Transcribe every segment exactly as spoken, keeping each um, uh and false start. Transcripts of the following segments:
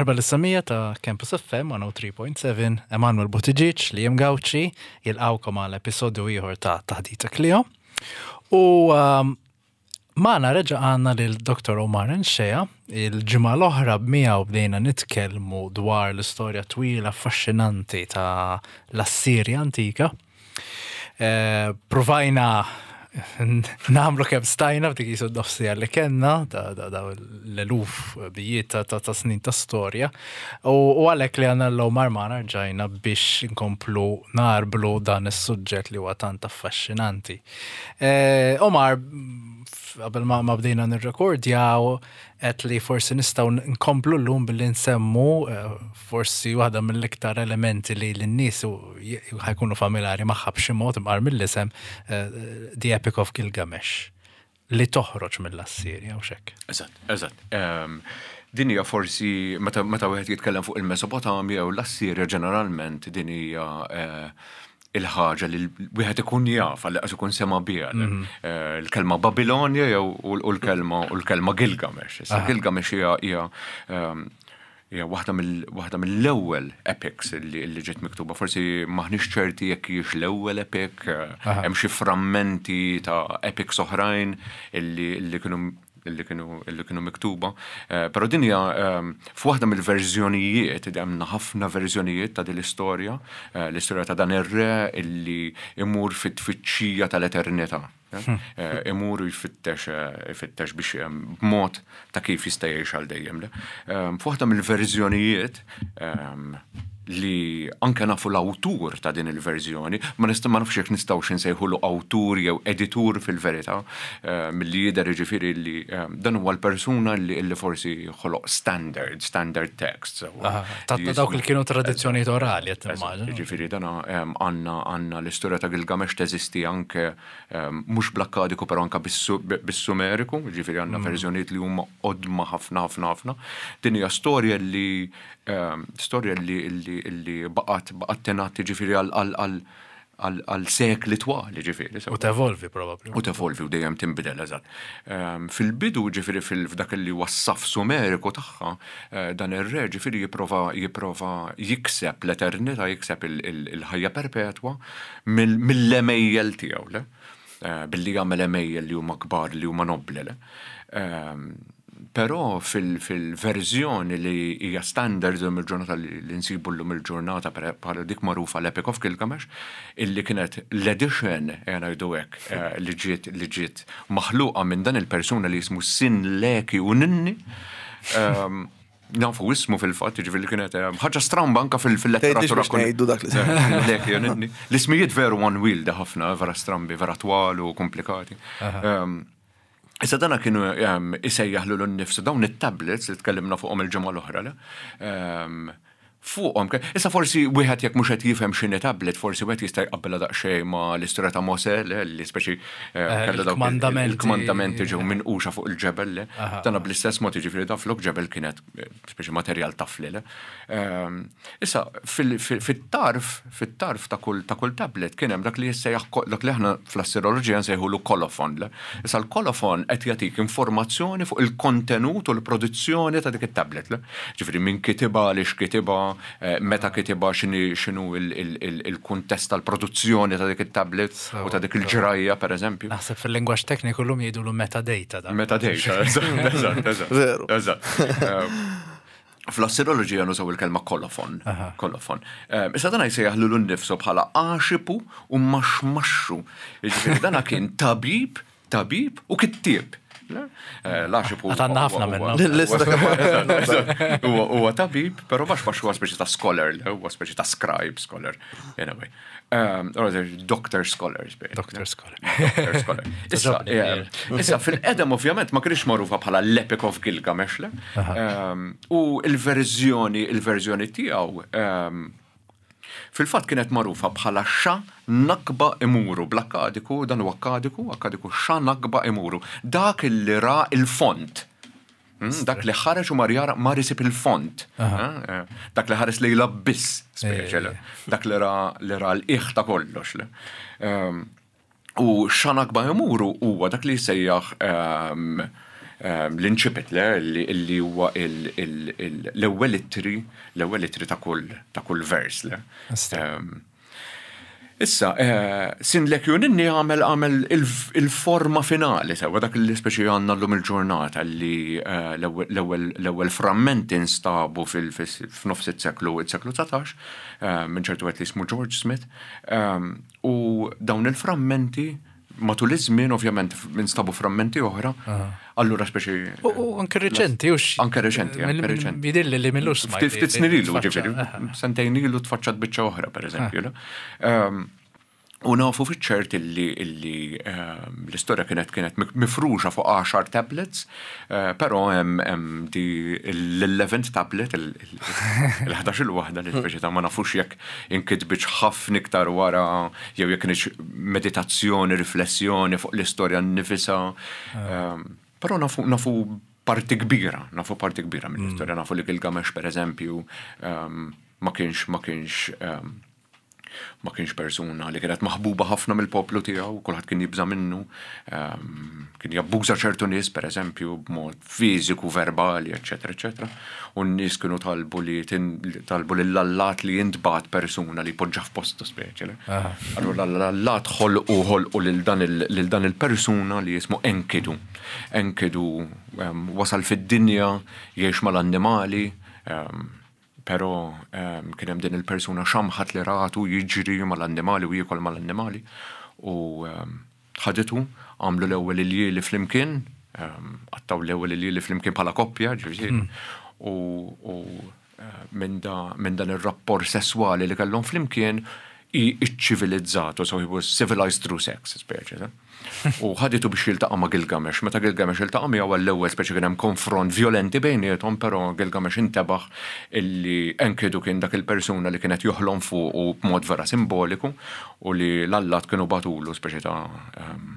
Merħba lis-semmiegħa ta' Campus F M mija u tlieta punt seba', Emanuel Buttigieg, Liam Gauci, jilqgħukom għal episodju ieħor ta' Taħdita Klio. U um, magħna reġa' għandna lil Doktor Omar N'Shea. Il-ġimgħa l-oħra b'miegħu bdejna nitkellmu dwar l-istorja twila affaxxinanti ta' l-Assirja antika. Eh, provajna nagħmlu kemm stajna f'dik jisu nofs siegħa li kellna, da, da, da l-eluf bijiet ta', ta, ta' snin ta' storja. U, u għalhekk li għandna l-Omar magħna rġajna biex nkomplu nagħrblu dan is-suġġett li huwa tant affaxxinanti. Eh, Omar, qabel ma, ma bdejna nirrekordjaw, għedt li forsi nistgħu nkomplu llum billi nsemmu eh, forsi waħda mill-iktar elementi li l-nies ħa jkunu familjari magħha b'xi mod imqar mill-isem, eh, The Epic of Gilgamesh, li toħroġ mill-Assirja u xek. Eżatt, eżatt. Ehm, Din hija forsi meta meta wieħed jitkellem fuq il-Mesopotamja u l-Assirja ġeneralment, din hija eh, il-ħaġa li wieħed ikun jaf għal ikun sema biha. Eh, Il-kelma Babilonja jew u u l-kelma u l-kelma Gilgamesh. Issa Gilgamesh hija hija ehm, hija waħda mill waħda mill-ewwel epics li li ġiet miktuba. Forsi maħniex ċerti jekk hijiex l-ewwel epic, eh, hemm xi frammenti ta' epics oħrajn illi illi kienu illi kienu illi kienu miktuba. Eh, Però din hija ehm, f'waħda mill-verżjonijiet, hemm ħafna verżjonijiet ta' din l-istorja, eh, l-istorja ta' dan ir-re illi imur fit-tfittxija tal-eternità. Eh, Imur u jfittex eh, jfittex biex ehm, b'mod ta' kif jista' jgħix għal dejjem. Le. Ehm, F'waħda mill-verżjonijiet ehm, li anke nafu l-awtur ta' din il-verżjoni, ma nista' ma nafx jekk nistgħux insejħulu awtur jew editur fil-verità, eh, milli jidher jiġifieri li eh, dan huwa l-persuna li, li forsi ħoloq standard, standard text. Sewwa. Ta' ta' dawk li kienu tradizzjonijiet orali, qed nimmaġina. Ġifieri dana em, għandna għandna l-istorja ta' Gilgamesh teżisti anke em, mhux bl-Akkadiku, però anke bis-Su- bis-Sumeriku, ġifieri għandna verżjonijiet li huma qodma ħafna ħafna ħafna. Din hija storja li em, storja li li li baqgħet baqgħet tingħad ġifieri għal għal għal għal għal sekli twal, ġifieri. U tevolvi probabbli. U tevolvi u dejjem tinbidel, eżatt. Ehm, Fil-bidu ġifieri fil- f'dak li wassaf Sumeriku tagħha, eh, dan ir-re ġifieri jipprova jipprova jikseb l-eternità, jikseb il- il- il-ħajja perpetwa mill- mill-għemejjel tiegħu, le? Eh, Billi jagħmel għemejjel li huma kbar, li huma nobli, le? Ehm, Però fil-verżjoni li hija standard illum il-ġurnata, li li nsibu llum il-ġurnata bħala dik magħrufa l-Epic of Gilgamesh, illi kienet l-edition, ejja ngħidu hekk, eh, li ġiet li ġiet maħluqa minn dan il-persuna li jismu Sin Leki u Ninni. Ehm, Nafu ismu fil-fatt, ġifieri li kienet eh, ħaġa stramba anka fil- Tgħidlix fil-letteratura. Biex ngħidu dak li Leki u Ninni. L-ismijiet veru unwieldy ħafna, vera strambi, vera twal u komplikati. Ehm, Issa dana kienu um, isejjaħ lilu nnifsu dawn it-tablets li tkellimna fuqhom il-ġimgħa l-oħra, le? Um, fuqhom, ke- issa forsi wieħed jekk mhux qed jifhem x'inhi tablet, forsi wieħed jista' jqabbilha daqsxejn ma' l-istorja ta' Mosè, le, li speċi eh, kellu dawk il- il-kmandamenti. il-kmandamenti ġew minquxa fuq il-ġebel, le. Dana bl-istess mod, jiġifieri da flok ġebel kienet eh, speċi materjal tafli, le. Ehm, Issa fil- fil- fit-tarf, fit-tarf ta' kull ta' kull tablet kien hemm dak li jissejjaħ ko- dak li aħna fl-assiroloġija nsejħulu kolofon, le. Issa l-kolofon qed jagħtik informazzjoni fuq il-kontenut u l-produzzjoni ta' dik it-tablet, le. Ġifieri min kitibha, għaliex kitibha, eh, meta kitibha, x'inhi x'inhu il- il- il- il-kuntest tal-produzzjoni ta' dik it-tablet u ta' dik il-ġrajja, pereżempju. Naħseb fil-lingwaġġ tekniku llum jgħidulu metadata da. Metadata, eżatt, eżatt, eżatt. Veru. Eżatt. Eh, Fl-assiroloġija nużaw il-kelma kolofon. Kolofon. Eh, Issa dana jsejjaħ lilu nnifsu bħala Għaxipu u Maxmaxxu. Jiġifieri dana kien tabib, tabib u kittieb. Le? Eh, L-Għaxipu. Għad għandna ħafna minnhom. L-lista kemm Huwa huwa tabib, però Maxmax huwa speċi ta' scholar, le, huwa speċi ta' scribe scholar. Anyway. Um, or doctor scholars. Doctor Scholar. Doctor Scholar. Issa, Togħġobni. eh, issa fil-qedem ovvjament ma kienx magħrufa bħala l-Epic of Gilgamesh, le? Um, u il-verżjoni il-verżjoni tiegħu um, fil-fatt kienet magħrufa bħala Xa Nakba Imuru, bl-Akkadiku, dan huwa Akkadiku, Akkadiku Xa Nakba Imuru. Dak li ra il-font. Mm, Dak li ħareġ u mar jara mar isib il-font. Eh, eh, Dak li ħares li l-abbiss, speċi, le. Dak li ra li ra l-qiegħ ta' kollox, le. Um, U Xanakba Imuru huwa dak li jsejjaħ um, ehm, l-incipit le li li huwa il- il- il- l-ewwel ittri l-ewwel ittri ta' kull ta' kull vers, le. Ista. Ehm, Issa, eh, Sin Leki u Ninni għamel għamel il- il-forma finali, sewa dak li speċi għandna llum il-ġurnata li eh, l-ewwel- l-ewwel l-ewwel frammenti instabu fil- fis- f'nofs it-seklu it-seklu dsatax eh, minn ċertu għet li jismu George Smith, ehm, u dawn il-frammenti matul iż-żmien ovvjament instabu frammenti oħra, allura speċi U u anke reċenti, ux. Anke reċenti, anke reċenti. Jidhirli li m'ilux smajt. Ftit ftit snin ilu, tfaċċa. ġifieri, sentejn ilu tfaċċat biċċa oħra, per eżempju. le? Ehm, U nafu fiċ-ċert illi illi ehm, l-istorja kienet kienet mifruxa fuq għaxar tablets, eh, però hemm hemm di l-eleventh tablet, il-ħdax il-waħda li speċi ta' ma nafux jekk inkitbitx ħafna iktar wara jew jekk kienx meditazzjoni, riflessjoni fuq l-istorja nnifisha. Ehm, Però nafu nafu parti kbira, nafu parti kbira mill-istorja, nafu li Gilgamesh per eżempju ehm, ma kienx ma kienx ehm, ma kienx persuna li kienet maħbuba ħafna mill-poplu tiegħu, kulħadd kien jibża minnu, ehm, kien jabbuża ċertu nies pereżempju b'mod fiżiku, verbali, eċetera, eċetera. U n-nies kienu talbu li tin- talbu lill-allat li jintbagħat persuna li poġġa f'postu speċi. le. Allura l-allat ħolqu ħolqu lil dan il- lil dan il-persuna li jismu Enkidu. Enkidu ehm, wasal fid-dinja, jgħix mal-annimali, ehm, pero um, kien hemm din il-persuna xamħat li ratu jiġri mal-annimali u jiekol mal-annimali u um, ħaditu, għamlu l-ewwel iljieli flimkien, um, qattgħu l-ewwel iljieli flimkien bħala koppja, ġifieri, u, u eh, minn da, min dan ir-rapport sesswali li kellhom flimkien i iċ-ċivilizzatu, so he was civilized through sex, speċi. ta? U ħaditu biex jiltaqa' ma' Gilgamesh. Meta Gilgamesh iltaqa' miegħu għall-ewwel speċi kien hemm konfront violenti bejniethom, però Gilgamesh intebaħ illi Enkidu kien dak il-persuna li kienet joħlom fuq u b'mod vera simboliku u li l-allat kienu bagħtulu speċi ta' ehm,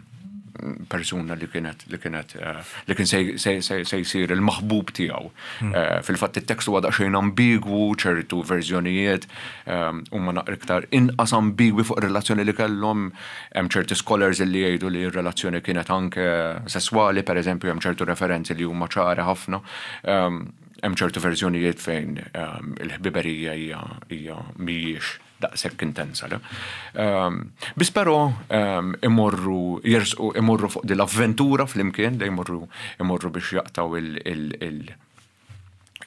persuna li kienet li kienet eh, li kien se se- se se jsir il-maħbub tiegħu. Eh, Fil-fatt it-tekst huwa daqsxejn ambigwu, ċertu verżjonijiet ehm, huma naqra iktar inqas ambigwi fuq ir-relazzjoni li kellhom, hemm ċerti scholars li jgħidu li r-relazzjoni kienet anke sesswali, per eżempju, hemm ċertu referenzi li huma ċari ħafna. Ehm, Hemm ċertu verżjonijiet fejn ehm, il-ħbiberija hija hija mhijiex daqshekk intensa. Le? Um, Bis però um, imorru jersqu imorru fuq din l-avventura flimkien, li imorru imorru biex jaqtgħu il, il, il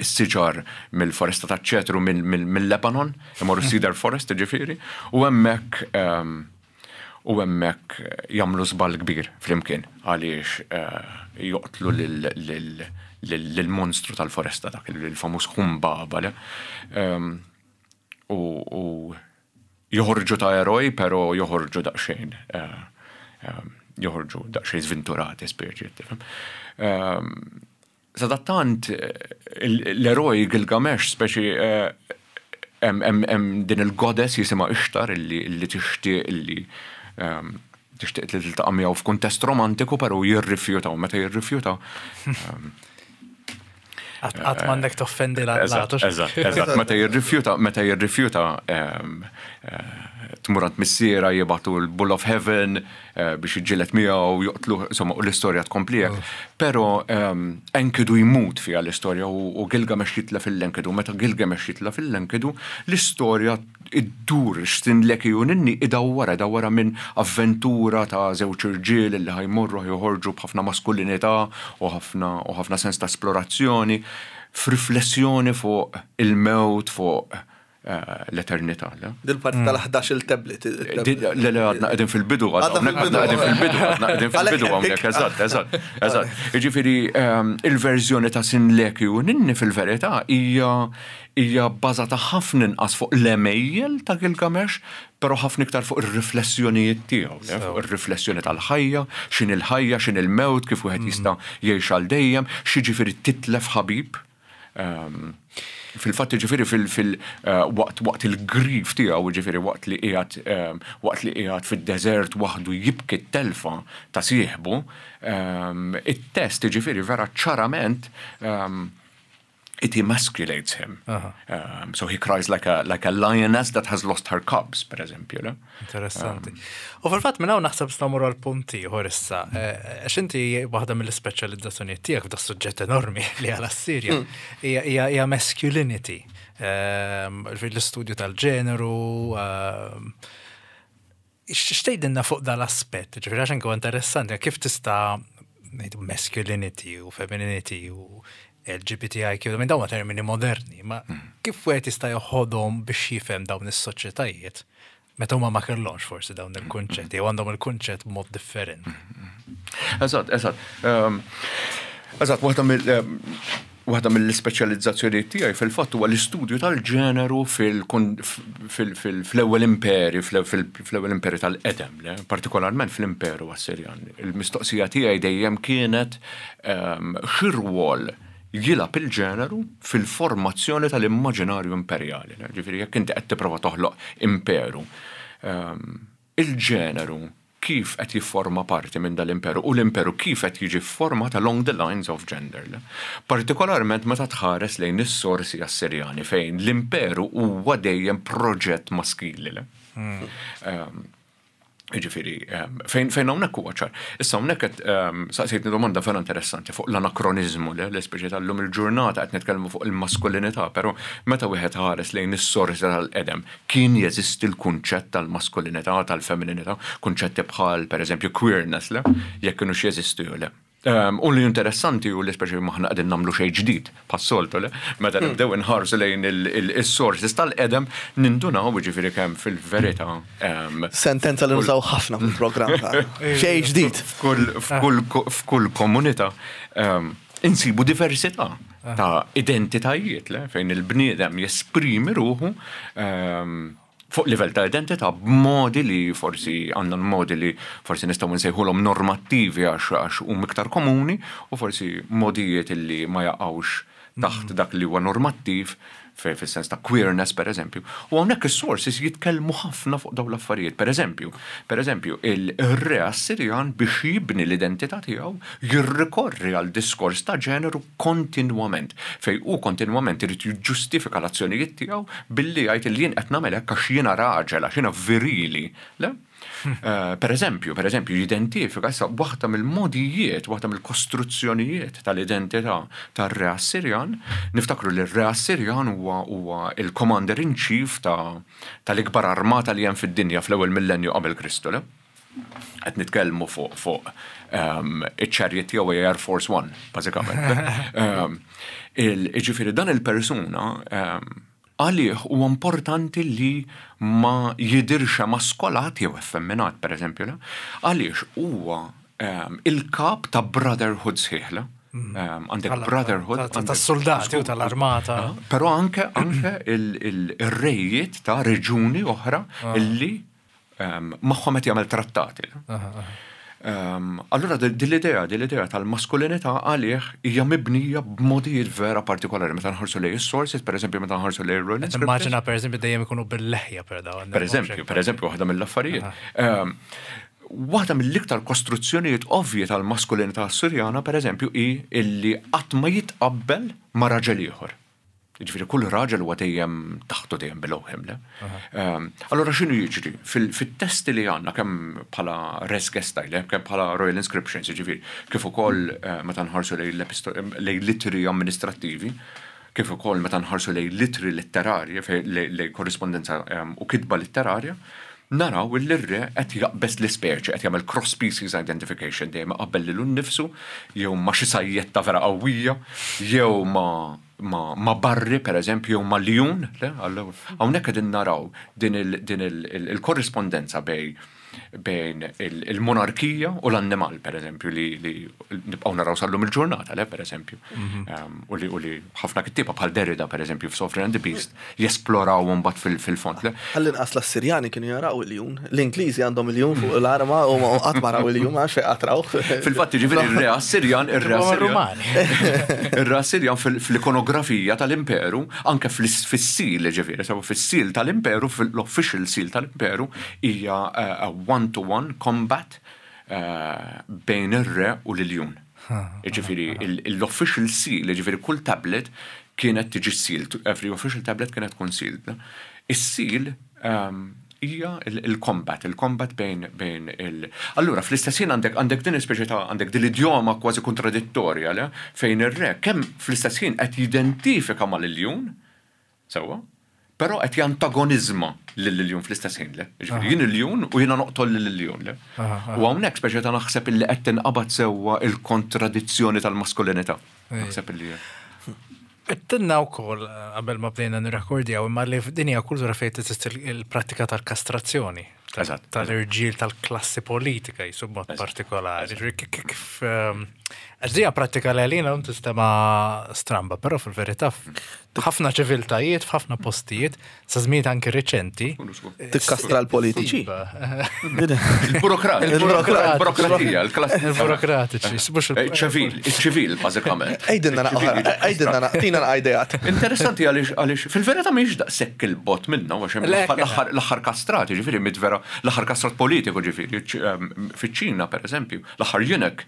is-siġar mill-foresta ta' ċedru mill-Lebanon, imorru Cedar Forest ġifieri, u hemmhekk um, u hemmhekk jagħmlu żball kbir flimkien għaliex uh, joqtlu lil- lil- lil- lil-monstru tal-foresta dak il-famuż Humbaba. Le? Um, u, u joħorġu ta' eroj, pero joħorġu daqsxejn, eh, eh, joħorġu daqsxejn sventurati, speċi, tifhem. Um, Sadattant, eh, l-eroj Gilgamesh, speċi, eh, hemm hemm- hemm din il-goddess jisimha Ishtar illi illi tixtieq illi um, tixtieq li tiltaqa' miegħu f'kuntest romantiku, però jirrifjuta u meta jirrifjuta um, Qatt m'għandek toffendi Eżatt, l-allat. eżatt, eżatt. Meta jirrifjuta, meta jirrifjuta ehm, eh, tmur għand missierha, jibagħtu l-Bull of Heaven eh, biex jiġġieled miegħu joqtlu, insomma, u l-istorja tkompli hekk. Però ehm, Enkidu jmut fiha l-istorja u u Gilgamesh jitlef lil Enkidu. Meta Gilgamesh jitlef lil Enkidu, l-istorja iddur Sin Leki u Ninni idawwara, idawwara minn avventura ta' żewġ irġiel li ħa jmorru joħorġu b'ħafna maskulinità u ħafna u ħafna sens ta' esplorazzjoni f'riflessjoni fuq il-mewt, fuq eh, l-eternità. Le? Dil-parti tal-ħdax il-tablet. Di- Le, le, għadna qegħdin fil-bidu, Għadna għadna fil-bidu. qegħdin fil-bidu, għadna qegħdin fil-bidu hawnhekk, eżatt, eżatt, eżatt. Jiġifieri ehm, il-verżjoni ta' Sin Leki u Ninni fil-verità hija hija bbażata ħafna inqas fuq l-għemejjel ta' Gilgamesh, però ħafna iktar fuq ir-riflessjonijiet tiegħu, le, fuq ir-riflessjoni tal-ħajja, x'inhi l-ħajja, x'inhi l-mewt, kif wieħed jista' jgħix għal dejjem, x'jiġifieri titlef ħabib. Ehm, Fil-fatt ġifieri fil- fil eh, waqt waqt il-grief tiegħu, ġifieri waqt li qiegħed ehm, waqt li qiegħed fid-deżert waħdu jibki t-telfa ta' sieħbu, ehm, it-test ġifieri vera ċarament ehm, It emasculates him. Um, so he cries like a, like a lioness that has lost her cubs, per eżempju. Le? Interessanti. U fil-fatt minn hawn naħseb nistgħu mmorru għal punt ieħor issa. Eh, Għax inti waħda mill-ispeċjalizzazzjonijiet tiegħek f'da suġġett enormi li għal Assirja hija hija hija masculinity. Ehm, L-istudju tal-ġeneru, ehm, x'tgħidilna fuq dal-aspett, ġifieri għax anke huwa interessanti, kif tista' ngħidu masculinity u femininity u L G B T I Q, minn dawn huma termini moderni, ma kif wieħed jista' joħodhom biex jifhem dawn is-soċjetajiet meta huma ma kellhomx forsi dawn il-kunċetti jew għandhom il-kunċett b'mod differenti? Eżatt, eżatt. Um, Eżatt, waħda mill um, waħda mill-ispeċjalizzazzjoni tiegħi fil-fatt huwa l-istudju tal-ġeneru fil-ewwel imperi, fl-ewwel imperi tal-qedem, le? Partikolarment fl-Imperu Assirjan. Il-mistoqsija tiegħi dejjem kienet um, x'irwol jilgħab il-ġeneru fil-formazzjoni tal-immaġinarju imperjali. Le? Ġifieri jekk inti qed tipprova toħloq imperu, um, il-ġeneru kif qed jifforma parti minn dal-imperu u l-imperu kif qed jiġi format along the lines of gender. Le? Partikolarment meta tħares lejn is-sorsi Assirjani, fejn l-imperu huwa dejjem proġett maskili. Le? Um, Ġifieri, um, fejn fejn hawnhekk huwa ċar. Issa hawnhekk qed um, saqsejtni domanda vera interessanti fuq l-anakronizmu, le, l-ispeċi tal-lum il-ġurnata qed nitkellmu fuq il-maskulinità, però meta wieħed ħares lejn is-sorsi tal-qedem, kien jeżisti l-kunċett tal-maskulinità, tal-femminilità, kunċetti bħal pereżempju queerness, le, jekk kienux jeżistu jew le. Um, u li interessanti u li speċi m'aħna qegħdin nagħmlu xejn ġdid pas-soltu, le, meta nibdew inħarsu lejn il-sources tal-qedem nindunaw ġifieri kemm fil-verità um, Sentenza li nużaw ħafna fil-programm tagħna. Xejn ġdid. f'kull f'kull f'kull komunità um, insibu diversità ta' identitajiet, le, fejn il-bniedem jesprimi ruħu um, fuq livell ta' identità b'modi li forsi għandna modi li forsi nistgħu nsejħulhom normattivi għax għax huma iktar komuni u forsi modijiet li ma jaqgħux taħt dak li huwa normattiv fe- fis-sens ta' queerness, per eżempju. U hawnhekk is-sources jitkellmu ħafna fuq dawn l-affarijiet. Per eżempju, per eżempju, il-re Assirjan biex jibni l-identità tiegħu jirrikorri għal diskors ta' ġeneru kontinwament, fej u kontinwament irid jiġġustifika l-azzjonijiet tiegħu billi jgħid li jien qed nagħmel hekk għax jiena raġel, għax jiena virili. Le? Eh, per eżempju, per eżempju, jidentifika issa waħda mill-modijiet, waħda mill-kostruzzjonijiet tal-identità tar-re Assirjan. Niftakru li r-re Assirjan huwa huwa il-commander in chief ta' tal-ikbar armata li hemm fid-dinja fl-ewwel millenju qabel Kristu, le? Qed nitkellmu fuq fuq um, iċ-chariot tiegħu Air Force One, bażikament. um, il- Ġifieri dan il-persuna um, għalih huwa importanti li ma jidirx maskolat jew effemminat, per eżempju, le? Għaliex huwa um, il-kap ta' brotherhood sħiħ, le? Um, għandek Tal- brotherhood. ta- ta- għandek- tas-soldati u tal-armata. Ah, Però anke anke il-rejiet ta' reġuni oħra illi um, magħhom qed jagħmel trattati. Um, allura din l-idea, din l-idea tal-maskulinità għalih hija mibnija b'modijiet vera partikolari meta nħarsu lejn is-sources, per eżempju meta nħarsu lejn Royal Inscriptions. Immaġina, per eżempju, dejjem ikunu bil-leħja per dawn. Per eżempju, per eżempju, waħda mill-affarijiet. Um, Waħda mill-iktar kostruzzjonijiet ovvji tal-maskulinità Assurjana, per eżempju, hi illi qatt ma jitqabbel ma' raġel ieħor. Ġifieri kull raġel huwa dejjem taħtu, dejjem below him, le? Um, Allora x'inhu jiġri? Fil- Fit-testi li għandna kemm bħala Res Gestae, le? Kemm bħala Royal Inscriptions, ġifieri, kif ukoll eh, meta nħarsu lejn l-episto- lejn littri amministrattivi, kif ukoll meta nħarsu lejn littri letterarji, fej- lejn lejn korrispondenza um, u kitba letterarja, naraw li r-re qed jaqbeż l-ispeċi, qed jagħmel cross species identification, dejjem iqabbel lilu nnifsu jew ma' xi sajjetta vera qawwija, jew ma' ma, ma barri, per eżempju, jew ma' ljun, le, allora, hawnhekk qegħdin naraw din il- din il- il- il-korrispondenza bej bejn il- il-monarkija u l-annimal, per eżempju, li, li nibqgħu naraw sal-lum il-ġurnata, le, per eżempju. Um, u li u li ħafna kittieba bħal Derrida, per eżempju, f'Sovereign and the Beast, jesploraw mbagħad fil- fil-fond, le. Għall-inqas l-Assirjani kienu jaraw il-jun. L-Ingliżi għandhom il-jun fuq l-arma u ma qatt ma raw il-jun, għax fejn qatt raw. Fil-fatt, ġifieri ir-re Assirjan, ir-re Huma Assirjan. Rumani. Ir-re Assirjan fil- fil-ikonografija tal-imperu, anke fil-seal, ġifieri, sew fis-seal tal-imperu, fil-official seal tal-imperu, hija uh, a one-to-one combat uh, bejn ir-re u l-iljun. Ġifieri, l-official seal, ġifieri kull tablet Kienet tiġi sealed, every official tablet kienet tkun sealed. Is-seal um, hija il-combat, il-combat bejn bejn il. Allura, fl-istess ħin għandek għandek din ispeċi ta' għandek din l-idjoma kważi kontradittorja, le? Fejn ir-re kemm fl-istess ħin qed jidentifika mal-iljun, sewwa, però qed jantagonizma lill-iljun fl-istess ħin, le? Ġifieri jien iljun u jiena noqtol lill-iljun, le? U hawnhekk speċi ta' naħseb illi qed tinqabad sewwa il-kontradizzjoni tal-maskulinità. Naħseb illi Għedtilna wkoll, qabel ma bdejna nirrekordjaw, imma li f'din hija kultura fejn teżisti il-prattika tal-kastrazzjoni. Eżatt. Tal-irġiel tal-klassi politika jisu mod partikolari. Ġifieri kif kif, ehm, għax dija prattika li għalina tinstema' stramba, però fil-verità f'ħafna ċiviltajiet, f'ħafna postijiet, sa żmien anki reċenti. Tikkastra l-politiċi. Iva. Il-burokrat, Il-burokrat. il-burokratija, il-klassi. Il-burokratiċi, mhux il- ċivil, il-ċivil, bażikament. Għidilna naqra, għidilna naqra, tina naqra ideat. Interessanti għaliex għaliex fil-verità mhix daqshekk il-bogħod minna, għax hemm Le, l-aħħar l-aħħar kastrati, ġifieri mit vera l-aħħar kastrat politiku ġifieri, ċ- em, fiċ-Ċina pereżempju, l-aħħar eunuch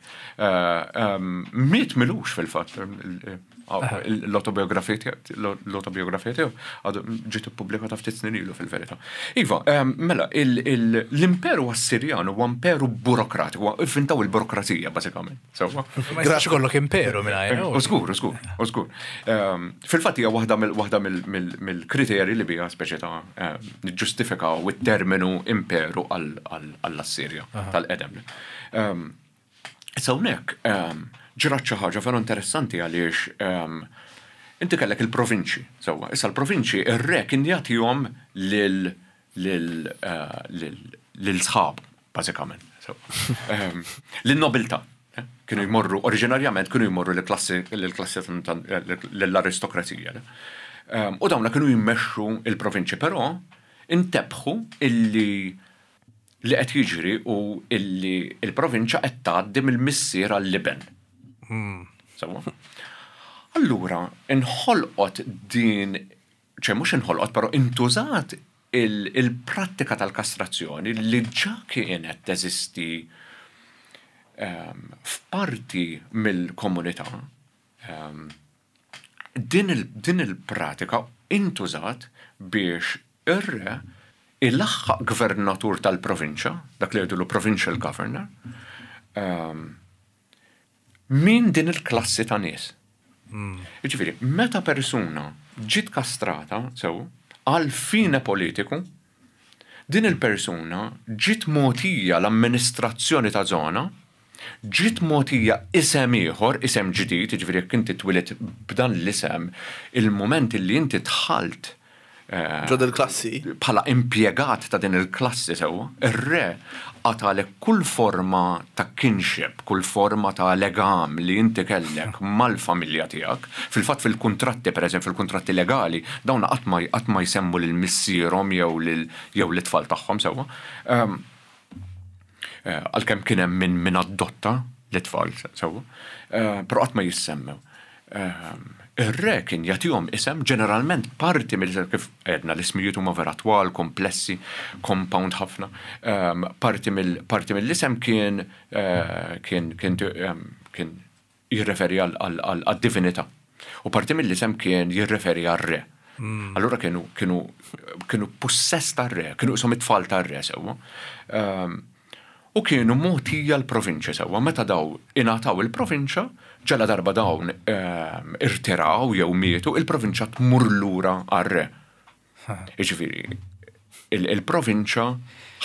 miet m'ilux fil-fatt. L-autobiografija tiegħu- l-autobiografija tiegħu għadu ġiet ippubblikata ftit snin ilu fil-verità. Iva, em, mela, il- il- l-imperu Assirjan huwa imperu burokratiku, ivvintaw il-burokrazija bażikament. Sewwa. Ma jistax ikollok imperu mingħajr. U żgur, u żgur, u żgur. Ehm, Fil-fatt hija waħda mill- waħda mill- mill- mill-kriterji li biha speċi ta' ehm, niġġustifikaw it-terminu imperu għall- għall- għall-Assirja tal-qedem. Ehm, Issa hawnhekk ehm, ġrat xi ħaġa veru interessanti għaliex ehm, inti kellek il-provinċi, sewwa. Issa l-provinċi ir-re kien jagħtihom lil lil eh, lil lil sħab, bażikament. sewwa. Ehm, Lin-nobiltà. eh? Kienu jmorru, oriġinarjament kienu jmorru l-klassi l-klassi l-aristokrazija. le? Ehm, U dawna kienu jimmexxu il-provinċi, però intebħu illi li qed jiġri u illi il-provinċja qed tgħaddi mill-missier għall-iben. Sewwa. Allura, inħolqot din, ċe mhux inħolqot, però intużat il- il-prattika tal-kastrazzjoni li ġa kienet teżisti ehm, f'parti mill-komunità. Ehm, din il- din il-pratika intużat biex ir-re ilaħħaq gvernatur tal-provinċja, dak li jgħidulu provincial governor, um, min din il-klassi ta' nies. Jiġifieri, meta persuna ġiet kastrata, sew, għal fine politiku, din il-persuna ġiet mogħtija l-amministrazzjoni ta' zona, ġiet mogħtija isem ieħor, isem ġdid, jiġifieri jekk inti twilit b'dan l-isem, il-moment li inti dħalt eh, Ġo del-klassi. bħala impjegat ta' din il-klassi sewwa, ir-re qatalek kull forma ta' kinship, kull forma ta' legam li inti kellek mal-familja tiegħek. Fil-fatt fil-kuntratti, per eżempju, fil-kuntratti legali, dawn qatt ma qatt ma jsemmu lil missierhom jew lil jew l-itfal tagħhom sewwa. Ehm, eh, Għalkemm kien hemm min min adotta l-itfal sewwa, eh, però qatt ma jissemmew. Ehm, Ir-re kien jagħtihom isem ġeneralment parti mill kif għedna l-ismijiet huma vera twal, komplessi, compound ħafna. Ehm, Parti mill parti mill-isem kien eh, kien kien ehm, kien jirreferi għal- għal għal- għad-divinità. U parti mill-isem kien jirreferi għal-re. Allura kienu kienu kienu possess tar-re, kienu isom it-tfal tar-re sewwa. Ehm, U kienu mogħtija l-provinċja sewwa, meta daw ingħataw il-provinċja, ġala darba dawn ehm, irtiraw jew mietu, il-provinċja tmur lura għar-re. Jiġifieri, il- il-provinċja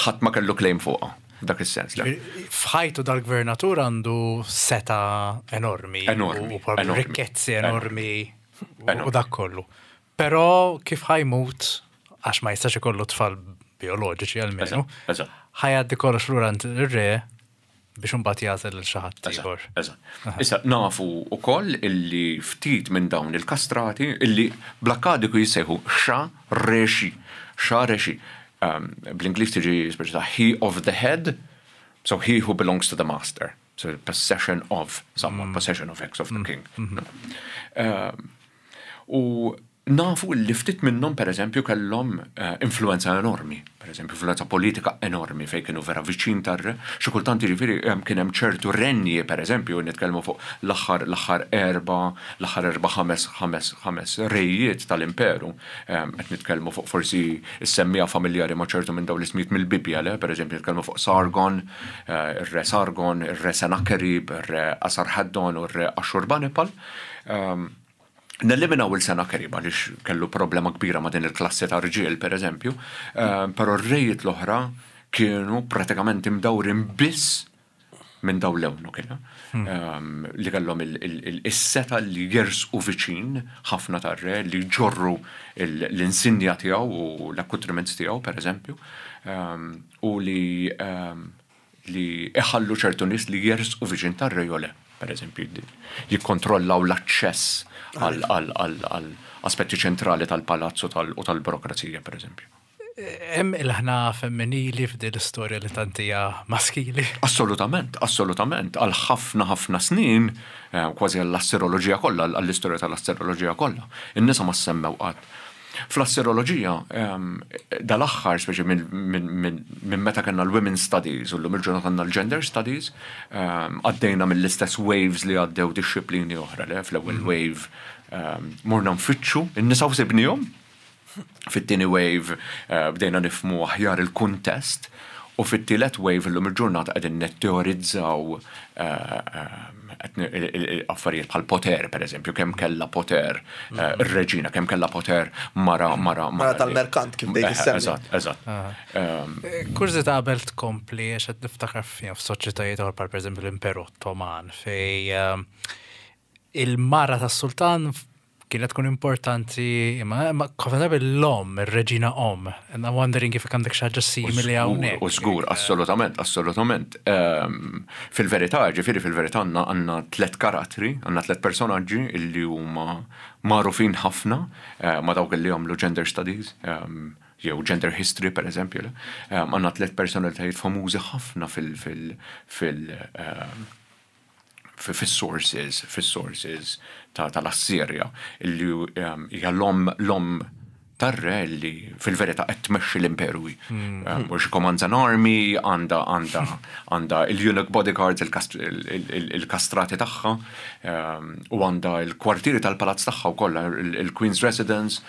ħadd ma kellu claim fuqha, dak is-sens. le. F'ħajtu dal-gvernatur għandu seta enormi. Enormi, U probabbli enormi. rikkezzi enormi. u- Enormi. U dak kollu. Però kif ħa jmut, għax ma jistax ikollu tfal bioloġiċi almenu, Eżatt, eżatt. ħa jgħaddi kollox lura għand ir-re biex imbagħad jagħżel lil xi ħadd ieħor. Eżatt. Issa nafu wkoll illi ftit minn dawn il-kastrati illi bl-Akkadiku jissejħu xa reshi. Xa reshi. Um, Bl-Ingliż tiġi speċi ta' he of the head, so he who belongs to the master. So possession of someone, possession of X of the king. No? Um, u Nafu li ftit minnhom, per eżempju, kellhom eh, influenza enormi, per eżempju, influenza politika enormi fejn kienu vera viċin tar-re. Xi kultant, jiġifieri, kien hemm ċertu renji, per eżempju, nitkellmu fuq l-aħħar l-aħħar erba, l-aħħar erba ħames ħames ħames rejiet tal-imperu. Qed nitkellmu fuq forsi is-semmiegħa familjari ma' ċertu minn dawn l-ismijiet mill-Bibja, le, per eżempju, nitkellmu fuq Sargon, eh, ir-re Sargon, ir-re Sennacherib, ir-re Asarhaddon u r-re Ashurbanipal. Neliminaw il-Sennacherib għaliex kellu problema kbira ma' din il-klassi ta' rġiel, per eżempju, però r-rejiet l-oħra kienu pratikament imdawrin biss minn daw l-ewnu kienu. Li kellhom is-setgħa li jersqu viċin ħafna tar-re, li ġorru l-insinja tiegħu u l-accoutrements tiegħu, per eżempju, u li li iħallu ċertu nies li jersqu viċin tar-re jew le, per eżempju, jikkontrollaw l-aċċess għal aspetti ċentrali tal-palazzu u tal-burokrazija, per eżempju. Hemm il-ħna femminili f'din l-istorja li tant hija maskili? Assolutament, assolutament. Għal ħafna ħafna snin, eh, kważi għall-asseroloġija kollha, għall-istorja tal-asseroloġija kollha, in-nisa ma semmew qatt. Fl-asseroloġija, ehm, dal-aħħar, speċi minn meta kellna l-Women's Studies u l-lum il-ġurnata għandna l-Gender Studies, ehm, għaddejna mill-istess waves li għaddew disciplini oħra, le, fl-ewwel wave ehm, morna nfittxu, in-nisa u sibnihom. Fit-tieni wave eh, bdejna nifhmu aħjar il-kuntest u fit-tielet wave illum il-ġurnata qegħdin netteorizzaw eh, eh, affarijiet bħal poter, per eżempju, kemm kellha poter ir-reġina, kemm kellha poter mara mara Mara tal-merkant, kif dejt issemmi. Eżatt, eżatt. Ehm, Kurżità qabel tkompli, għax qed niftakar f'soċjetajiet oħra bħal pereżempju l-Imperu Ottoman, fej il-mara tas-sultan kienet tkun importanti, imma imma ħafna drabi l-om, ir-reġina om. And I'm wondering if għandek xi ħaġa simili hawnhekk. U żgur, assolutament, assolutament. Ehm, Fil-verità, ġifieri fil-verità għandna għandna tlet karattri, għandna tlet personaġġi illi huma magħrufin ħafna eh, ma' dawk illi jagħmlu gender studies, ehm, jew gender history, per eżempju. Ehm, Għandna tlet personalitajiet famużi ħafna fil- fil- fil- ehm, fis-sources, fis-sources ta' tal-Assirja, illi um, hija l-om l-om tar-re li fil-verità qed tmexxi l-imperu. Um, U she commands an army, għandha għandha għandha il-eunuch bodyguards, il-kastrati tagħha, um, u għandha il-kwartieri tal-palazz tagħha wkoll, il-Queen's Residence.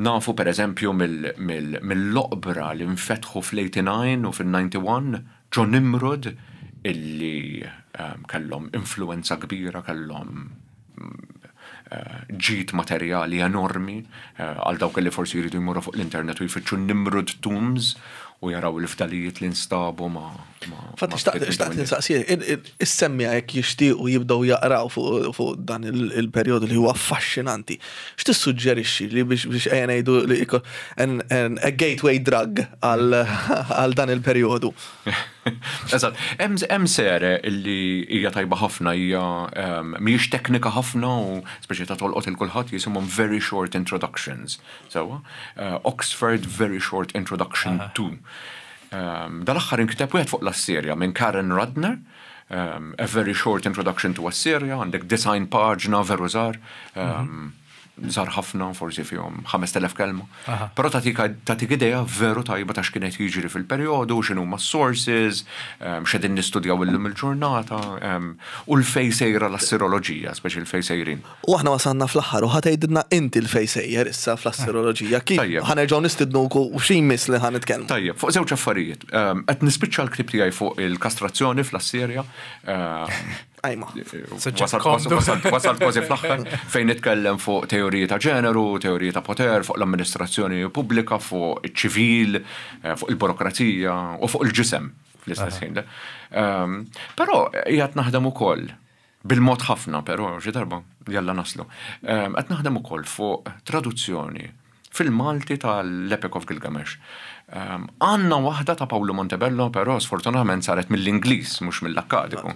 Nafu, per eżempju, mill-oqbra li nfetħu fl-eighty-nine u fil-ninety-one ġo Nimrud illi um, kellhom influenza kbira, kellhom uh, ġid materjali enormi uh, għal dawk li forsi jridu jmorru fuq l-internet u jfittxu Nimrud Tombs u jaraw il-fdalijiet li nstabu ma. ma- Fatti, ma xtaqt ftit xtaqt minn insaqsi, is-semmiegħa jekk jixtiequ jibdew jaqraw fuq fuq dan il- il-perjodu li huwa affaxxinanti. X'tissuġġerixxi li biex biex ejja ngħidu li iko- an- an- a gateway drug għal għal dan il-perjodu? Eżatt, hemm hemm sere illi hija tajba ħafna, hija um, mhijiex teknika ħafna u speċi ta' tolqot il kulħadd, jisimhom Very Short Introductions. Sewwa, uh, Oxford Very Short Introduction to. Um, Dal-aħħar inkiteb wieħed fuq l-Assirja minn Karen Rudner, um, A Very Short Introduction to Assyria, għandek disgħin paġna veru żgħar, um, żgħar ħafna, forsi fihom ħamest elef kelma. Però tagħtik tagħtik idea veru tajba ta' x'kienet jiġri fil-perjodu, x'inhu ma sources, um, x'qegħdin nistudjaw illum il-ġurnata, um, u l-fej sejra l-assiroloġija, speċi l-fej sejrin. U aħna wasalna fl-aħħar u ħa tgħidilna inti l-fej sejjer issa fl-asseroloġija. Kif Tajjeb. ħa nerġgħu nistidnuk u xi jmiss li ħa nitkellmu? Tajjeb, fuq żewġ affarijiet. Um, Qed nispiċċa l-ktib tiegħi fuq il-kastrazzjoni fl-Assirja. Um, Ajma. Suġġett Wasalt komdu. wasalt- wasalt kważi fl-aħħar fejn nitkellem fuq teoriji ta' ġeneru, teoriji ta' poter, fuq l-amministrazzjoni pubblika, fuq iċ-ċivil, eh, fuq il-burokrazija u fuq il-ġisem fl-istess ħin. Um, Però qiegħed naħdem ukoll bil-mod ħafna, però xi darba jalla naslu. Um, Qed naħdem ukoll fuq traduzzjoni fil-Malti tal-Epic of Gilgamesh. Um, Għandna waħda ta' Paolo Montebello, però sfortunatament saret mill-Ingliż, mhux mill-Akkadiku.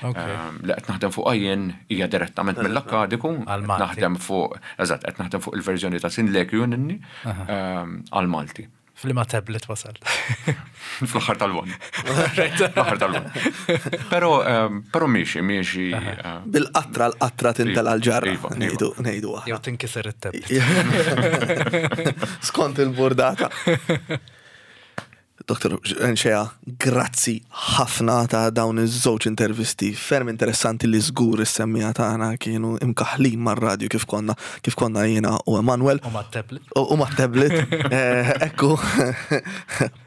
Ok. Um, li qed naħdem fuq jien hija direttament mill-Akkadiku, qed Għal-Malti. naħdem fuq, eżatt, qed naħdem fuq il-verżjoni ta' Sinleki Ninni um, għal-Malti. F'liema tablet wasal. Fl-aħħar tal-one. Fl-aħħar tal-one. Pero, ehm, pero miexi, miexi. eh, Bil-qatra l-qatra tintela l-ġarra. Iva, iva. Ngħidu, ngħidu aħna. Jew tinkiser it-tablet. Skont il-burdata. Doktor Nxea, grazzi ħafna ta' dawn iż-żewġ intervisti ferm interessanti li żgur is-semmiegħa tagħna kienu imkaħlin mar-radju kif konna kif konna jiena u Emanuel. U ma' tablet. U u ma' tablet. Eh, Ekku,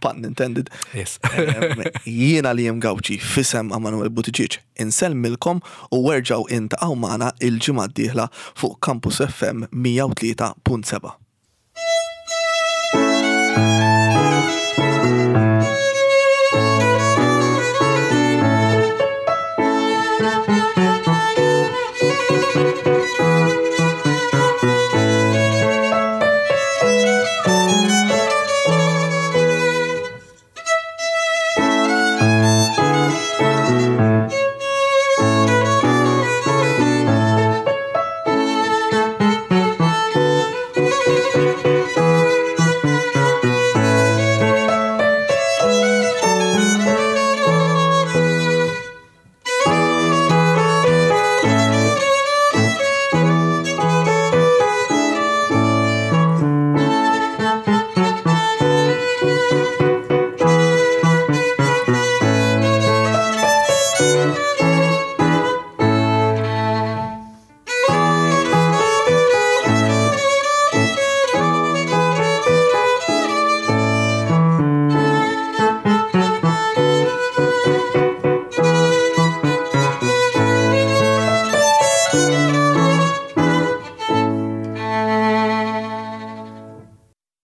pun intended. Yes. Em, Jiena li jem Gawċi f'isem Emanuel Buttigieg insellmilkom u erġgħu iltaqgħu magħna il-ġimgħa d-dieħla fuq Campus F M mija u tlieta punt seba'.